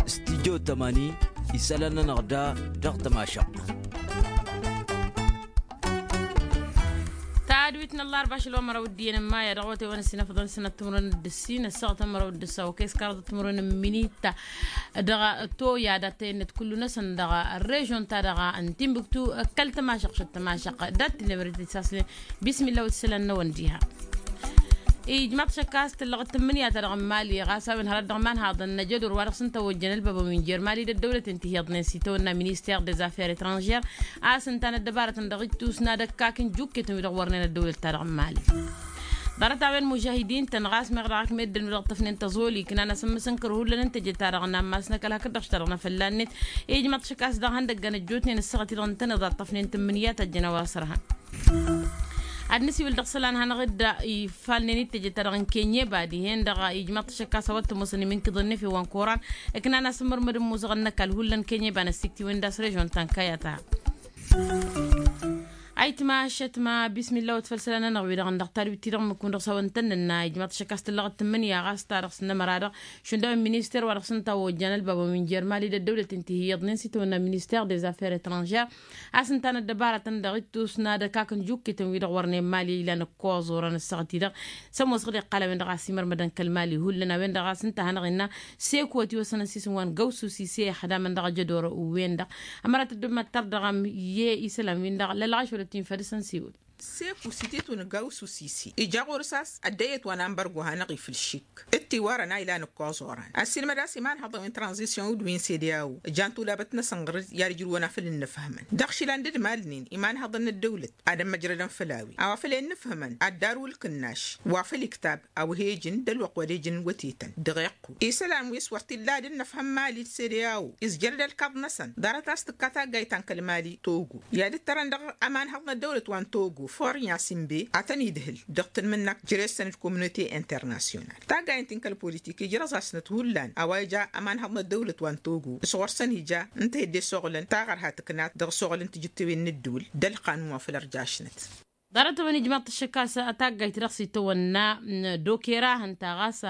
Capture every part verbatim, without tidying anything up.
Studyo tămani isălan-nănăɣ da dăɣ-tămašăɣt. Tadwit n-ăllarba ašăl wa măraw d-iyyăn n-maya dăɣ-awătay wa n-ăssinăfăḍăn sănăt timǝrwen d-ǝssin ăssaɣăt n-măraw d-ǝssaw kăy s-kăraḍăt timǝrwen n-minita. Dăɣ-toya d-attăyăn-net kullu-năsăn dăɣ-režon-ta-dăɣ n-timbuktu. Kăl-tămašăɣt šăt tămašăɣt dat-tinămret isasnen. Bismillah wa t-isălan-năwăn diha. Ijmaḍ-t šăkk a-s tǝllăɣ d-tǝmmǝnǝya-ta-dăɣ n-mali ɣas a-wen hărăt dăɣ-imanhaḍăn n-ajădor wa dăɣ-s ǝnta ojjăn ălbabăn wi n-jer-mali d-ăddăwlăten tihǝyăḍnen s-itawănna minister des affaires etrangères. A-s ǝnta n-ăddăbarătăn dăɣ-ittus n-ad-ăkkaken jukketăn wi-dăɣ wărnen ăddăwlăt-ta-dăɣ n-mali. Ḍarăt-a-wen mužahidin-tăn ɣas meɣ dăɣ-ak meddǝn wi-dăɣ ǝṭṭăfnen tăẓoli ǝknan-asăn mǝsǝnkăr hullan n-teje-ta-dăɣ n-ammas n-ăkall hakd-dăɣ-š ta-dăɣ n-afălla-net. Ijmaḍ-t šăkk a-s dăɣ-ihăndăggăn ăjjootnen ăssaɣăt-i-dăɣ ǝntăneḍ a ǝṭṭăfnen tǝmmǝnǝya ta ăjjăn a-wa s-ărhan. Ad-nǝsiwǝl dăɣ-isălan hanăɣ-dd ifalnen i-teje-ta-dăɣ n-kenyeba dihen-dăɣ ijmaḍ-t šăkk a-s a-wa t-ămoosăn imǝnkǝḍăn n-efew wa n-koran. Ǝknan-asăn mărmăd n-imuzăɣăn n-ăkall hullan kenyeba n-ăssiktiwen d-a-s režon ta n-kayata. Ayǝtma ašătma bismillah wa t-făll isălan-nănăɣ-wi-dăɣ n-dăɣ-tadwit-ti-dăɣ mǝkun dăɣ-s a-wa n-tăn-nǝnna ijmaḍ-t šăkk a-s tǝllăɣ d-tǝmmǝnǝya ɣas ta dăɣ-s n-ămăra-dăɣ šund a-wen minister wa dăɣ-s ǝnta a ojjan ălbabăn wi n-jer-mali d-ăddăwlăt n-tihǝyyăḍnen s-itawănna minister des affaires etrangères. A-s ǝnta n-ăddăbarătăn dăɣ-ittus n-ad-ăkakăn jukkităn wi-dăɣ wărnen mali ilan ǝkkoẓ orăn ăssaɣăt-i-dăɣ. S-ămoos ɣǝd iqqal a-wen-dăɣ a-s imărmădăn kăl-mali hullan a-wen-dăɣ a-s ǝnta a hanăɣ-innă seko ătiwăsăn ăsisǝm wa n-gawsu sise ixdamăn dăɣ-ajădor-wen-dăɣ. Ămăra tăddob mad-tărdăɣăm i-isălan-win-dăɣ lălɣaš wăr-ăttinfăd s-ănsiwǝl. Seko s-ititun gawsu sise ija ɣur-s a-s ăddăyăt wa n-anbărgo hanăɣ-ifǝl šik d-tiwarăn a ilan ǝkkoẓ oran ăssiilmăd a-s imanhăḍăn wi n-tranzisyon d-wi n-sedeao. Ǝjan tulabăt-năsăn ɣǝr-dd i-ad-ǝjrǝwăn afăl ǝnnǝfhămăn dăɣ-išilan d-ǝdmalnen imanhăḍăn n-ăddăwlăt ad-ămmăjrădăn făll-a-wi a-wa făl ennǝfhămăn ad-dd-arǝw ǝlkǝnnaš wa făll-iktab a-wa he-ijǝn d-ălwăqq wa d-ijǝn wătetăn dăɣ-iqqu isălan wi s-wăr t-illa ad-dd-nǝfhăm mali d-sedeao. Izjăr-dd ălkaḍ-năsăn ḍarăt a-s tǝkka taggayt ta n-kăl-mali togo i-ad-ǝttărăn dăɣ-ămanhăḍ n-ăddăwlăt wa n-togo forinya simbe ad-tăn-idhǝl dăɣ-tǝnmǝnnak jere-săn d-kominote internasyonal. Taggayt-in kăl-politik ijrăẓ-asnăt hullan a-wa ija ămanhăḍ n-ăddăwlăt wa n-togo s-ɣur-săn ija ǝnta hedde s-oɣlăn taɣărha tǝknat dăɣ-s oɣlăn tijǝttewen n-ǝddǝwǝl d-ălqanun wa făll-ărjašnăt. Ḍarăt-a-wen ijmaḍ-t ăššăk a-s taggayt dăɣ-s itawănna d-okera hǝnta ɣas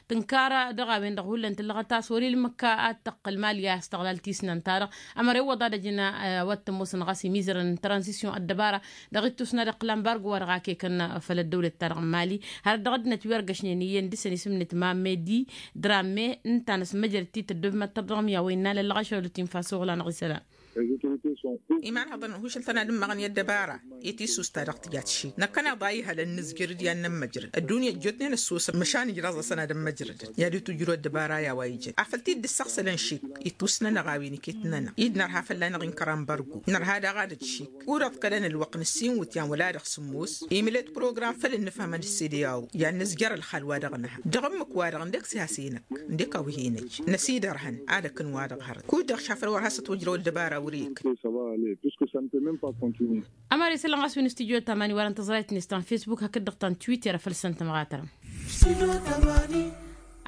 tǝnkar dăɣ-a-wen-dăɣ hullan tǝllăɣăt a-s wăr-ilmǝk ad-tăqqǝl mali a-s tăɣlal tisnant-ta-dăɣ. Ămăra iwwăḍ ad-ăjǝn a-wa t-ămoosăn ɣas imizărăn n-tranzisyon ăddăbara dăɣ-ittus n-ad-iqqǝl ambargo wa dăɣ-akekăn făll-ăddăwlăt ta dăɣ-mali. Hărăt dăɣ-ăddinăt wi ărgăšnen iyyăn dăɣ-săn isǝm-net mamedi drame ǝnta a năsmăjrăd-t-i tăddob mad-tărdăɣăm i-a-wa innă lăllăɣăšăwăl ătinfas oɣlan ɣisălan. Imanhăḍăn hušǝl-tăn ad-ǝmmăɣăn i-ăddăbara i-tissust ta dăɣ-tǝjat šik năkkăneḍ a ihălăn nǝzjăr d-i-ad-nămmăjrăd ăddunya ăjjootnen ăssoosăn măšan ijraẓ-asăn ad-ămmăjrădăn i-ad-itujrǝw ăddăbara i-a-wa ijăn afăl t-dd-ǝssăɣsălăn šik. Ittus-nănăɣ a-wen iket-nănăɣ-i d-nărha fălla-năɣ inkăr ambargo nărha daɣ ad-ăj šik. Kud-ăḍkălăn ălwăqq n-ǝssin iwǝtyan wăla dăɣ-sǝmmos imǝl-dd program făll-ǝnnǝfhămăn d-sede a-wen i-ad-nǝzjăr ălxal wa dăɣ-nǝha dăɣ-ǝmmǝk-wa-dăɣ ǝndek s-ihas-enăk ǝndek a-wa hen-ăj năsidărhăn ad-ekăn wa dăɣ-hărăt kud-dăɣ šafăl wăr has-ătwăjrăw ăddăbara wăr-e-ekăn. Ămăra isălan ɣas wi n-studyo tamani wăren tăẓrayt-net ta n-facebook hakd-dăɣ ta n-twitter a făl săn tămɣatărăm.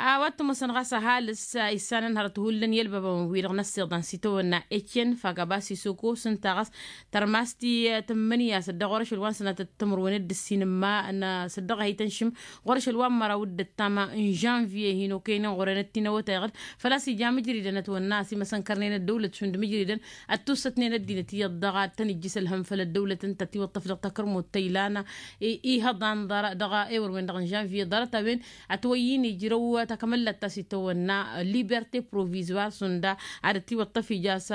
A-wa t-ămoosăn ɣas ăhalǝs issan ănhărăt hullan i-ălbabăn-wi-dăɣ n-ăssiḍan s-itawănna ecen fagabas isoko s-ǝnta ɣas tărmas-t i-tǝmmǝnǝya s-dd-ɣur-ašăl wa n-sănatăt timǝrwen d-ǝssin ǝmma n-săddăɣ a hi-tănšǝm ɣur-ašăl wa n-măraw d-ǝttam n-žănviye hin-okăynen ɣur-enăt-t-in ăwătay ɣǝd. Făl-a-s ija mǝjridăn ătwănna a-s imăsănkărnen ăddăwlăt šund mǝjridăn ăttussătnen ăddinăt iyyăḍ dăɣ-ad-tăn-ijjǝs ălhăm făll-ăddăwlăt ǝnta ătiwăṭṭăf dăɣ-takărmut ta ilan ihăḍan dăɣ-ewăr-wen-dăɣ n-žănviye ḍarăt-a-wen ătwăyy-in ijrăw takămăllat ta s-itawănna liberte provizoir šund ad-ătiwăṭṭăf ija a-s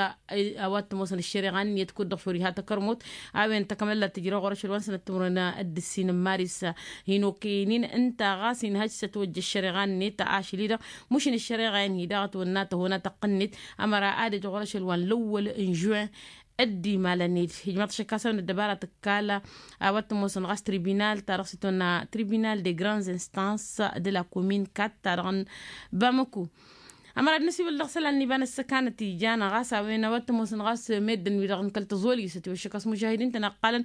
a-wa t-ămoosăn ăššăreɣa-net kud-dăɣ šor iha takărmut. A-wen takămăllat tǝjrăw ɣur-ašăl wa n-sănăt timǝrwen d-ǝssin n-maris hin-okăyăn-in ǝnta ɣas inhăj s-ătwăjja ăššăreɣa-net ašăl-i-dăɣ. Mušǝn ăššăreɣa-in hi-dăɣ ătwănna tăhona taqqǝnnit ămăra ad-ăj ɣur-ašăl wa n-lăwwăl n-žuin dd-imalăn-dd. Ijmaḍ-t šăkk a-s a-wen ăddăbara tǝkkal a-wa t-ămoosăn ɣas tribinal ta dăɣ-s itwănna tribinal de grands instances de la commune kat ta dăɣ-n bamăku. Ămăra ad-năsiwǝl dăɣ-isălan n-iba n-ăssăkanăt ijan ɣas a-wen a-wa t-ămoosăn ɣas meddǝn-wi-dăɣ n-kăl-tăẓoli s-ătiwăššăk a-s mužahidin-tăn ăqqalăn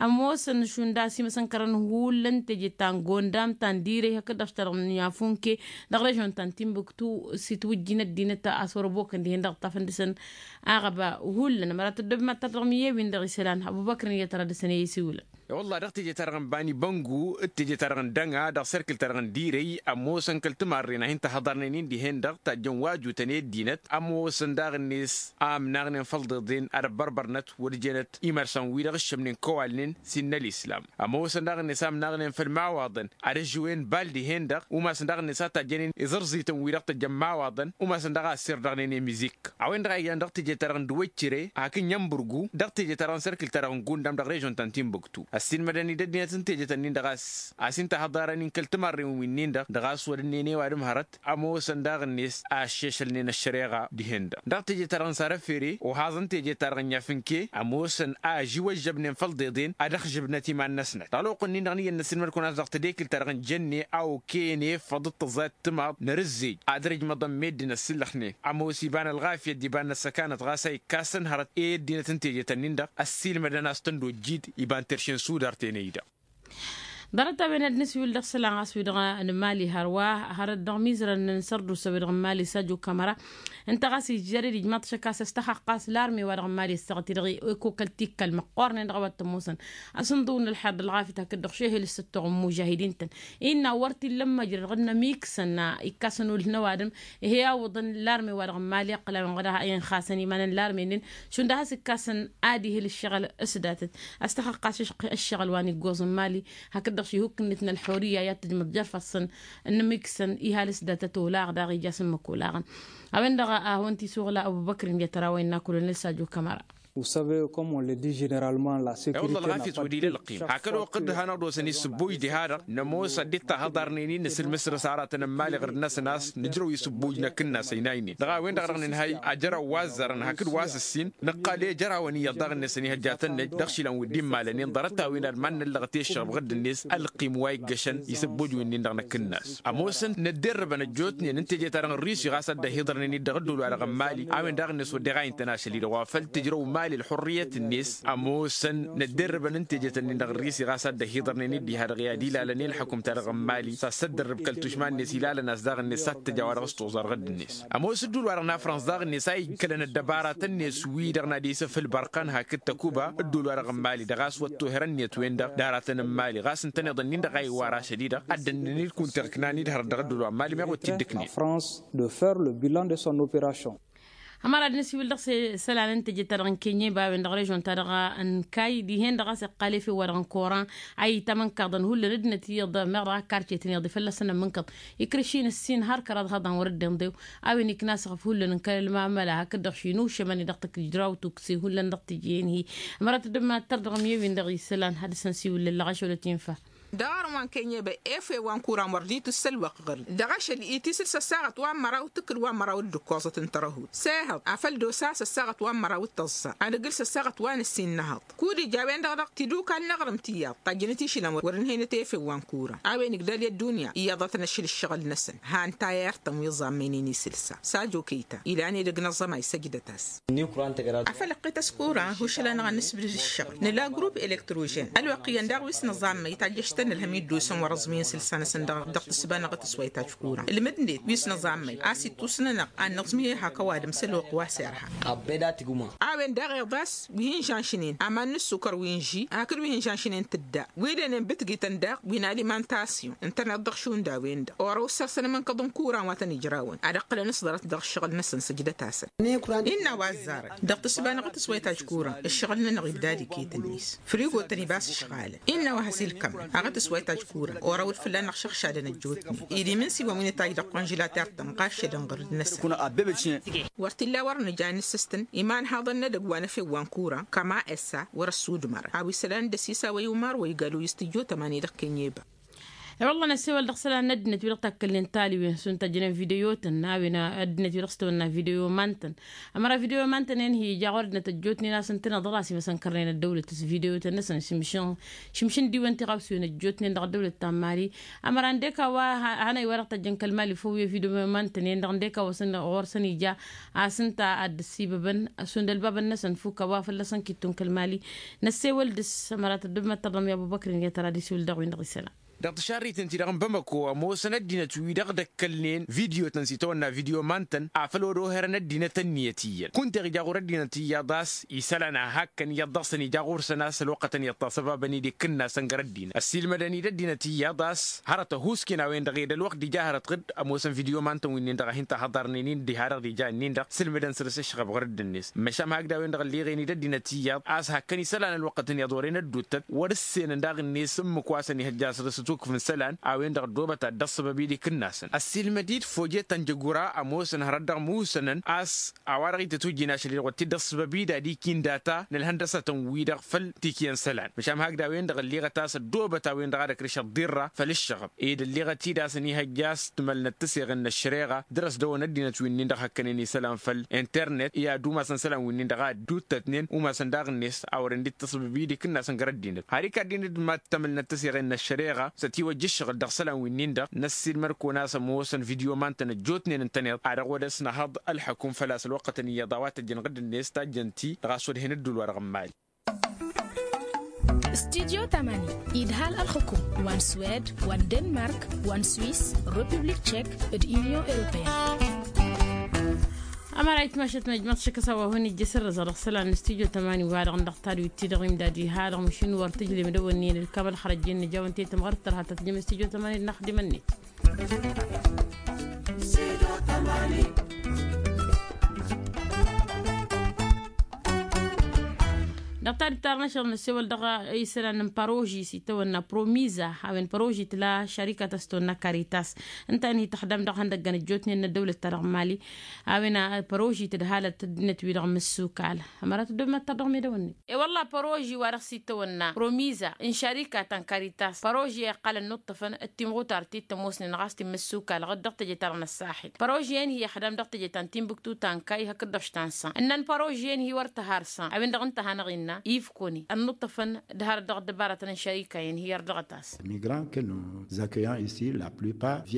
ămoosăn šund a-s imăsănkărăn hullan teje ta n-gondam ta n-direy hakd-dăɣ s-ta dăɣ-n yafunke dăɣ-režon ta n-timbuktu s-itwǝjjin ăddinăt a-s wăr-ăbokăn dihen dăɣ-ǝṭṭafăn dăɣ-săn. Aɣăba hullan ămăra tăddob mad-tărdăɣ miyye-win-dăɣ isălan ăbubăkr n-iyyăt ara dăɣ-săn i-isiwǝlăn. I-wălla dăɣ-teje-ta-dăɣ n-bani băngu d-teje-ta-dăɣ n-dăŋa dăɣ-serkǝl-ta-dăɣ n-direy ămoosăn kăl-timarren a hin-tăhăḍarnen-in dihen-dăɣ tajjăn wa jutăn i-ăddinăt ămoosăn daɣ-net a ǝmnaɣnen făll-iḍeḍen ad-ăbbărbărnăt wăr jenăt imărsăn-wi-dăɣ ǝššămnen kăwalnen s-innă ălislam. Ămoosăn daɣ-net a ǝmnaɣnen făll-imawaḍăn ad-ăžžǝwen bal dihen-dăɣ umasăn daɣ-net a tajjănen iẓărẓităn-wi-dăɣ tăjjăn imawaḍăn umasăn daɣ a ăsserdăɣnen i-mizik. A-wen-dăɣ a ijan dăɣ-teje-ta-dăɣ n-dăwăccire hakd n-imbǝrgu dăɣ-teje-ta-dăɣ n-serkǝl-ta-dăɣ n-gundam dăɣ-režon ta n-timbuktu ăssiilmădăn-dd ăddinăt n-tejet-ǝnnin-dăɣ a-s a-s hin-tăhăḍarăn-in kăl-timarren wi-nin-dăɣ dăɣ-a-s wăr ǝnnen i-ăwadǝm hărăt ămoosăn daɣ-net a ăššešălnen ăššăreɣa dihen-dăɣ dăɣ-teje-ta-dăɣ n-sarăfere ohaẓăn teje-ta-dăɣ n-iafǝnke ămoosăn a ăžiwăžžăbnen făll-iḍeḍen ad-ăxžǝbnăt iman-năsnăt dăɣ-ălwăqq-ǝnnin-dăɣ n-iyyăn n-ăssiilmăd-kăwăn a-s dăɣ-tedekǝlt-ta-dăɣ n-jănne a okăyăn efăḍ d-tăẓayăt timaḍ n-arǝzzej ad-dăr-ijmăḍăn meddǝn ăssillăxnen ămoos iba n-ălɣafyăt d-iba n-ăssăkanăt ɣas a ikkassăn hărăt i-ăddinăt n-tejet-ǝnnin-dăɣ ăssiilmădăn a-s tăn-dd-ojjid iba n-terše n-sudar tenăy-dăɣ. Ḍarăt-a-wen ad-nǝswǝl dăɣ-isălan ɣas wi-dăɣ n-mali hărwa hărăt dăɣ-imizărăn n-sărdusa wi-dăɣ n-mali sajo kamăra ǝnta ɣas ijjăr-dd ijmaḍ šăkk a-s ăstăxăɣ ɣas larme wa dăɣ-n mali ăssaɣăt-i-dăɣ i-kokăl tikkal măqqoornen dăɣ-a-wa t-ămoosăn asǝnḍǝw n-ălḥer d-ălɣafyăt hakd-dăɣ šehel s-ǝttoɣ n-imužahidin-tăn innă wăr t-illa ămmăjrăd ɣǝnnăm iksăn ikkasăn ulh n-ăwadǝm. Ih'-e awǝḍăn larme wa dăɣ-n mali ăqqǝl a-wen ɣǝd a inxasăn iman n-larme-nin šund a has-ikkasăn ad-ihǝl ǝššăɣǝl s-datăt. Ăstăxăɣ ɣas ǝššăɣǝl wa n-iggoẓ n-mali hakd-dăɣ šihuk-net n-ălxurǝyya i-ad-tǝjmăḍ jer-ifassăn n-imiksăn ihal s-datăt olaɣ daɣ ija s-ǝmmǝk olaɣăn. A-wen-dăɣ a hawăn-t-isuɣǝl abubăkrǝn i-ad-tărawăyăn n-akulănăl sajo kamăra. Vous savez comme on le dit generalman la securite. Ălɣafyăt wăr-ila ălqim hakd oqq dd-hanăɣ-dd-osăn isǝbboj diha-dăɣ nămoos ad-dd-tahăḍarnen-in nǝsǝlmǝsrǝs aratăn n-imali ɣǝrǝd-năsăn a-s nǝjrăw isǝbboj n-akǝnnas ăynaynen dăɣ-a-wen-dăɣ dăɣ-nǝnhăy ajăraw wa ăzzarăn hakd wa s-ǝssin nǝqqal i-ajărawăn iyyăḍ daɣ-năsăn ihăjjatăn-năj dăɣ-išilan wi dd-immalănen ḍarăt-a-wen ad-iman-năllăɣăt i-ǝššăɣb ɣǝdd-net ălqim wa iggăšăn isǝbboj wi-nin-dăɣ n-akǝnnas. Ămoosăn nădderrăbăn ăjjootnen n-teje-ta-dăɣ n-rusi ɣas ad-dd-ăhiḍărnen-dd dăɣ-ăddol-wa-dăɣ n-mali a-wen daɣ-net wădden a intăn ašăl-i-dăɣ wa făl tǝjrăw mali ălxurriyăt-net. Ămoosăn nădderrăbăn n-tejet-ǝnnin-dăɣ n-rusi ɣas ad-dd-ăhiḍărnen-dd diha-dăɣ i-ad-ilalăn i-ălxăkum-ta-dăɣ n-mali s-ad-săddărrǝb kăl-tušma-net ilalăn a-s daɣ-net s-ad-t-tăj a-wa dăɣ-s toẓar ɣǝdd-net. Ămoos ǝddul wa dăɣ-nafrăns daɣ-net a ikkălăn ăddăbaratăn-net wi-dăɣ n-ad-isǝfǝl bărqăn hakd tăkuba ǝddul wa dăɣ-n mali dăɣ-a-s wăr t-oherăn-net-wen-dăɣ d-aratăn n-mali ɣas ǝntăneḍ-ǝnnin-dăɣ a iwwar ašăl-i-dăɣ ad-dd-ănnăn-dd kunta ǝknan-dd hărăt dăɣ-ăddul wa n-mali meɣ wăr t-dd-ǝknen. La France de faire le bilan de son opération. Ămăra ad-nǝsiwǝl dăɣ-isălan n-teje-ta-dăɣ n-kenye ba a-wen dăɣ-režon-ta-dăɣ n-kay dihen-dăɣ a-s iqqal efew wa dăɣ-n koran a itamănkăḍăn hullan ăddinăt iyyăḍ meɣ dăɣ-akkarcetăn iyyăḍ i-fălla-săn ămmǝnkăḍ ikrǝš-in ǝssin har kăraḍ haḍan wăr-dd-inḍew. A-wen ikna asăɣăf hullan n-kăl-ălmamăla hakd-dăɣ šinu šămăn-i dăɣ-tǝkǝjraw tukse hullan dăɣ-tǝjjen-hi. Ămăra tăddămma tărdăɣ ămyewin dăɣ-isălan ad-dăr-săn siwǝllăl lăɣaš wăla tinfa. Dăɣ-arǝm wa n-kenye băy efew wa n-kuran wăr dd-itǝss ălwăqq ɣǝr-i dăɣ-ašăl itisǝl s-ăssaɣăt wa n-măraw tǝkǝl wa n-măraw d-ǝkkoẓăt n-tărăhut sehăḍ afăl d-osa s-ăssaɣăt wa n-măraw d-tăẓẓa anǝgǝl s-ăssaɣăt wa n-ǝssin n-ehăḍ. Kud-ija a-wen-dăɣ dăɣ-tidukal n-aɣrǝm tiyyăḍ tajjăn-t išilăn wăr-ǝnhăynăt efew wa n-kuran a-wen igdal i-ăddunya iyyăḍ a tăn-ăššǝl ǝššăɣǝl-năsăn. Han tayert-tăn wi ẓammăynen isǝlsa sajo kăyta ilan edăgg n-aẓămay săjdăt-as. Afăl ăqqet a-s kuran hušǝl-anăɣ ad-nǝsbǝdǝd ǝššăɣǝl nǝla grup elektrožen ălwăqq iyyăn daɣ wi s-nǝẓammăy tajjăš-tăn ǝlhăm i-dd-osăn wăr-ăẓmǝyăn isǝlsa-năsăn dăɣ-tǝssǝba-năɣ a tǝswayt ajkuran ǝlmǝdnet wi s-nǝẓammăy a-s ittusnănăɣ ad-nǝẓmǝy ehak ăwadǝm s-ălwăqq wa s-irha. A-wen daɣ iḍas wi hin-žanšnen aman n-ǝssukăr wi n-ži hakd wi hin-žanšnen tǝdda wi d-ănen bǝtgităn daɣ wi n-alimantasyon ǝntăneḍ dăɣ-šund a-wen-dăɣ orăw ǝssărsăn amǝnkăḍ n-kuran wa tăn-ijrawăn ad-ǝqqǝlăn s-ḍarăt dăɣ-ǝššăɣǝl-năsăn săjdăt-asăn. Innă a-wa ăzzarăn dăɣ-tǝssǝba-năɣ a tǝswayt ajkuran ǝššăɣǝl-nănăɣ ibdad iket-net frigo-tăn ibas ǝšɣalăn. Innă a-wa has-ilkămăn aɣ tǝswayt ajkuran orăw-dd fălla-năɣ šăɣšadăn ăjjootnen ed imǝnsiwăn wi nǝtajj dăɣ-konžǝlater-tăn ɣaššădăn ɣǝrǝd-năsăn. Wăr t-illa wăr nǝja n-ǝssǝstǝn imanhaḍăn n-edăgg wa n-efew wa n-kuran kăma essa wăr-ăssudmărăn a-wa isălan d-ăsisa wa i-umar wa igaluyǝs tǝjjot ămani dăɣ-kănyeba. I-wălla năssewăl dăɣ-isălan n-ăddinăt wi-dăɣ takkălnen taliwen šund tajjănen video-tăn n-a-wen ăddinăt wi-dăɣ s-tawănna video iman-tăn. Ămăra video iman-tăn-en hi-ija ɣur-ăddinăt ăjjootnen a-s ǝntăneḍ ɣur-asǝm ăsănkărnen ăddăwlăt s-video-tăn-năsăn šǝmšǝn šǝmšǝn diwăn tiɣawsiwen ăjjootnen dăɣ-ăddăwlăt ta n-mali. Ămăra ǝndek a-wa hanăy wa dăɣ-tăjjăn kăl-mali făw i-video iman-tăn-en-dăɣ ǝndek a-wa s-ănn ɣur-săn ija a-s ǝnta ad-dd-ăssibăbăn šund ălbabăn-năsăn fuk a-wa fălla-săn kittun kăl-mali. Năssewăl dăɣ-s ămăra tăddăb măttăr dăɣ-mi abubăkr-in i-ad-tăra d-isiwǝl dăɣ-win-dăɣ isălan. Dăɣ-tǝšarriten-ti-dăɣ n-bamăko ămoosăn ăddinăt-wi-dăɣ d-ăkkălnen vidyotăn s-itawănna vidyo mantăn afăl wăr-oherăn ăddinăt ănniyăt iyyăn kunta iɣ ija ɣur-ăddinăt iyyăḍ a-s isălan a hakkăn iyyăḍ dăɣ-săn ija ɣur-săn a-s ălwăqqătăn iyyăḍ tasăbabăn-dd ikǝnnasăn gar ăddinăt ăssiilmădăn-dd ăddinăt iyyăḍ a-s hărăt ăhuusken a-wen-dăɣ ed ălwăqq d-ija hărăt ɣǝd ămoosăn vidyo mantăn wi-nin-dăɣ a hin-tahăḍarnen-in diha-dăɣ d-ija ǝnnin-dăɣ sǝlmǝdăn săr-s ǝššăɣăb ɣur-dd-net. Măšan hakd a-wen-dăɣ ălliɣen-dd ăddinăt iyyăḍ a-s hakkăn isălan ălwăqqătăn iyyăḍ wăren ădduuttăt wăr-ǝssenăn daɣ-net ǝmmǝk wa s-ănihăjja săr-s ătukǝf n-isălan a-wen-dăɣ ăddoobăt ad-dd-ăṣṣăbăb-dd ikǝnnasăn ăssiilmăd-dd fojet ta n-jăgura ămoosăn hărăt dăɣ-musănăn a-s a-wa-dăɣ ităt ujjin ašăl-i-dăɣ wăr t-dd-ăṣṣăbăb-dd ad-ikin data n-ălhăndăsatăn-wi-dăɣ făll-tikǝyăn isălan măšan hakd a-wen-dăɣ ălliɣăt a-s ăddoobăt a-wen-dăɣ ad-ăkrǝš ăḍḍirra făll-ǝššăɣăb ed ălliɣăt-dd a-s ănihăjja a-s tǝmălnăt tăseɣen n-ăššăreɣa dăr-ăsdăwăn ăddinăt wi-nin-dăɣ hăkkănen isălan făll-internet i-ad-umasăn isălan wi-nin-dăɣ a ădduuttătnen umasăn daɣ-net a wărăn dd-tăṣbǝb-dd ikǝnnasăn gar ăddinăt har ikadd-in-dd ma t-tămǝlnăt tăseɣen n-ăššăreɣa s-ătiwăjja ǝššăɣǝl dăɣ-isălan wi-nin-dăɣ n-ăssiilmăr-kăwăn a-s ămoosăn vidyo mantăn ăjjootnen ǝntăneḍ ad-dăɣ-wăr-dăɣ s-năhăḍ ălḥăkum făl-a-s ălwăqqătăn iyyăḍ a-wa tăjjăn ɣǝdd-net tajjăn-t-i dăɣ-a-s wăr hen-dd-ul-wa-dăɣ n-mali. Studyo tamani idhal ălxukum wa n-swed wa n-denmark wa n-swis, republik tšek, d-unyon europeyăn. Ămăra itmašăt măjmăḍ šăkk a-s a-wa hon-ijjăs ărrăẓ dăɣ-isălan n-studyo tamani wa-dăɣ n-dăɣ tadwit-ti-dăɣ imdad iha-dăɣ măšin wăr tǝjlem dăwănnen d-kamăl xărăjjen nǝja wa n-tetăm ɣur-dd tărha ta tǝjlem studyo tamani d-inaxdimăn-net. Dăɣ-tadǝt ta dăɣ-năšăḍ năssewăl dăɣ-isălan n-paroži s-itawănna promiza a-wen paroži tǝla šarikat a-s tawănna karitas ǝnta-en hi-tăxdam dăɣ-ihăndăggăn ăjjootnen n-ăddăwlăt-ta-dăɣ n-mali. A-wen paroži tǝdhalăt ăddinăt-wi-dăɣ n-imǝssukal ămăra tăddob mad-tărdăɣ medăwănnen. E-wălla paroži wa dăɣ-s itawănna promiza n-šarikat ta n-karitas paroži a iqqalăn nuṭṭăfăn d-timɣutar ti t-ămoosnen ɣas ti n-imǝssukal ɣǝd dăɣ-teje-ta-dăɣ n-ăssaxil. Paroži-en hi-ixdam dăɣ-teje ta n-timbuktu ta n-kay hakd-dăɣ ta n-san ǝnnăn paroži-en hi-wăr tăhar san a-wen-dăɣ ǝnta a hanăɣ-innă ifkoni ănnuṭṭăfăn d-harăt dăɣ-ăddăbaratăn n-šarika-en hi-ărdăɣăt-as.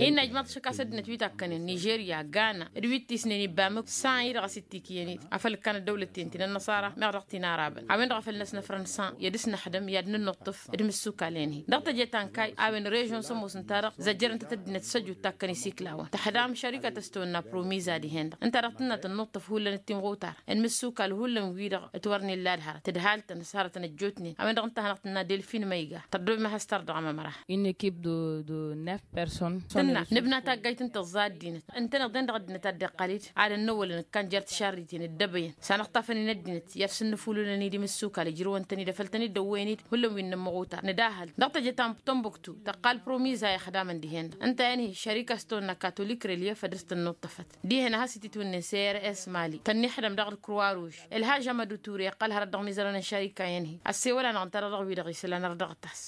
Innă ijmaḍ šăkk a-s ăddinăt wi takkănen nižerya gana d-wi t-isnen ibbamǝk san-i-dăɣ a-s ittikǝyăn-dd afăl ǝkkan ăddăwlăt-ten ti n-ănnăṣara meɣ dăɣ-ti n-arabăn a-wen-dăɣ a făl năsnăfrăn san i-ad-ǝsnăxdăm i-ad-nǝnnuṭṭǝf d-imǝssukal-en-hi dăɣ-teje ta n-kay a-wen režion s-ămoos ǝnta-dăɣ zăjjărăn-tăt ăddinăt s-ăjut takkăn isiklawăn tăxdam šarikat a-s tawănna promiza dihen-dăɣ ǝnta-dăɣ tǝnnă tǝnnuṭṭǝf hullan d-timɣutar n-imǝssukal hullan-wi-dăɣ ǝtwărnen ladhărăt tǝdhal-tăn s-hărătăn ăjjootnen a-wen-dăɣ ǝnta a hanăɣ-tǝnna delfin măyga tărdobem ad-has-tărdăɣăm ămăra. Une ekipe de de nef personne. Tǝnna nǝbna taggayt n-tăẓẓa ăddinăt ǝntăneḍ-en dăɣ-ăddinăt ad-dd-iqqal-dd ad-ănnăwălăn ǝkkan jer-tišarriten dd-ebăyăn s-anăɣtafăn-in ăddinăt i-ad-sǝnnǝfulǝlăn-dd imǝssukal ǝjrǝwăn-tăn-dd afăl tăn-dd-ăwwăyăn-dd hullan wi n-inǝmmăɣutar nǝdahăl dăɣ-teje ta n-tămbuktu tăqqal promiza i-ăxdamăn dihen-dăɣ ǝnta-en-hi šărik a-s tăwănna katolik relief ad-dăr-s tănnuṭṭăfăt dihen a has-ititwǝnnen srs mali tănnixdăm dăɣ-d croix rouge ălhaž amădu ture iqqăl hărăt dăɣ-imizărăn n-šarika-en-hi ăssewăl-anăɣ ǝnta-dăɣ dăɣ-wi-dăɣ isălan ărdăɣăt-as.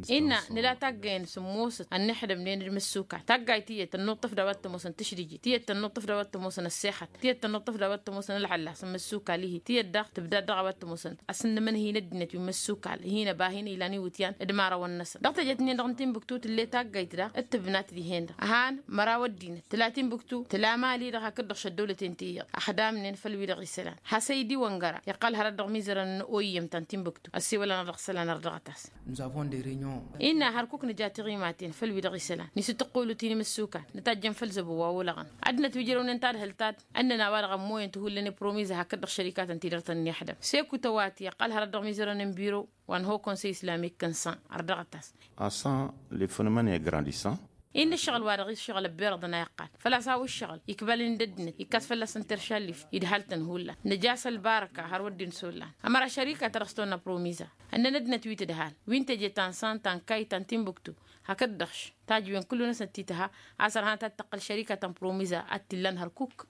Innă nǝla taggăyăn s-ǝmmosăt ănnixdămnen d-imǝssukal taggayt iyyăt tănnuṭṭăf d-a-wa t-ămoosăn tǝšdǝjǝt tiyyăt tănnuṭṭăf d-a-wa t-ămoosăn ăssexăt tiyyăt tănnuṭṭăf d-a-wa t-ămoosăn ălɣăllas n-imǝssukal-ihi tiyyăt daɣ tǝbdad dăɣ-a-wa t-ămoosăn asǝnnǝmăn hin-ăddinăt wi n-imǝssukal hin-ăba hin-ilan iwǝtyan d-imarăwăn-năsăn dăɣ-teje-t-nin-dăɣ n-timbuktu tǝll'-e taggayt daɣ d-tǝbnat dihen-dăɣ ăhan măraw ăddinăt tǝla timbuktu tǝla mali-dăɣ hakd-dăɣ šăddăwlăten ti iyyăḍ ăxdamnen făll-wi-dăɣ isălan hasăydi wăngăra iqqăl hărăt dăɣ-imizărăn n-oyyăm ta n-timbuktu ăssewăl-anăɣ dăɣ-isălan ărdăɣăt-as. Innă hărkuk nǝja tiɣimaten făll-wi-dăɣ isălan nisǝttăqqulu ti n-imǝssukal nǝtajjăn făll-zăbo wa olăɣăn ăddinăt wi ǝjrăwnen tadhǝlt-ta-dd ǝnnăn a-wa-dăɣ ămmoyăn tihullen i-promiza hakd-dăɣ šărikatăn-ti-dăɣ tănnixdăm seku tăwati iqqăl hărăt dăɣ-imizărăn n-biro wa n-ho konsăy islamik n-san ărdăɣăt-as. Assan lefănămăn i-grandissan. Innă ǝššăɣǝl-wa-dăɣ ǝššăɣǝl ăbberăḍăn a iqqal făl-a-s a-wa ǝššăɣǝl ikbal-in d-ăddinăt ikkas fălla-săn terša ăllif idhal-tăn hullan nǝja a-s ălbarăka har wăr dd-insollan ămăra šărika ta dăɣ-s tăwănna promiza ǝnnăn ăddinăt wi tǝdhal wi n-teje ta n-san ta n-kayy ta n-timbuktu hakd-dăɣ-š tajǝwen kullu-năsnăt ti tǝha a-s ărhanăt ad-tăqqăl šărika ta n-promiza ad-t-illan hărkuk.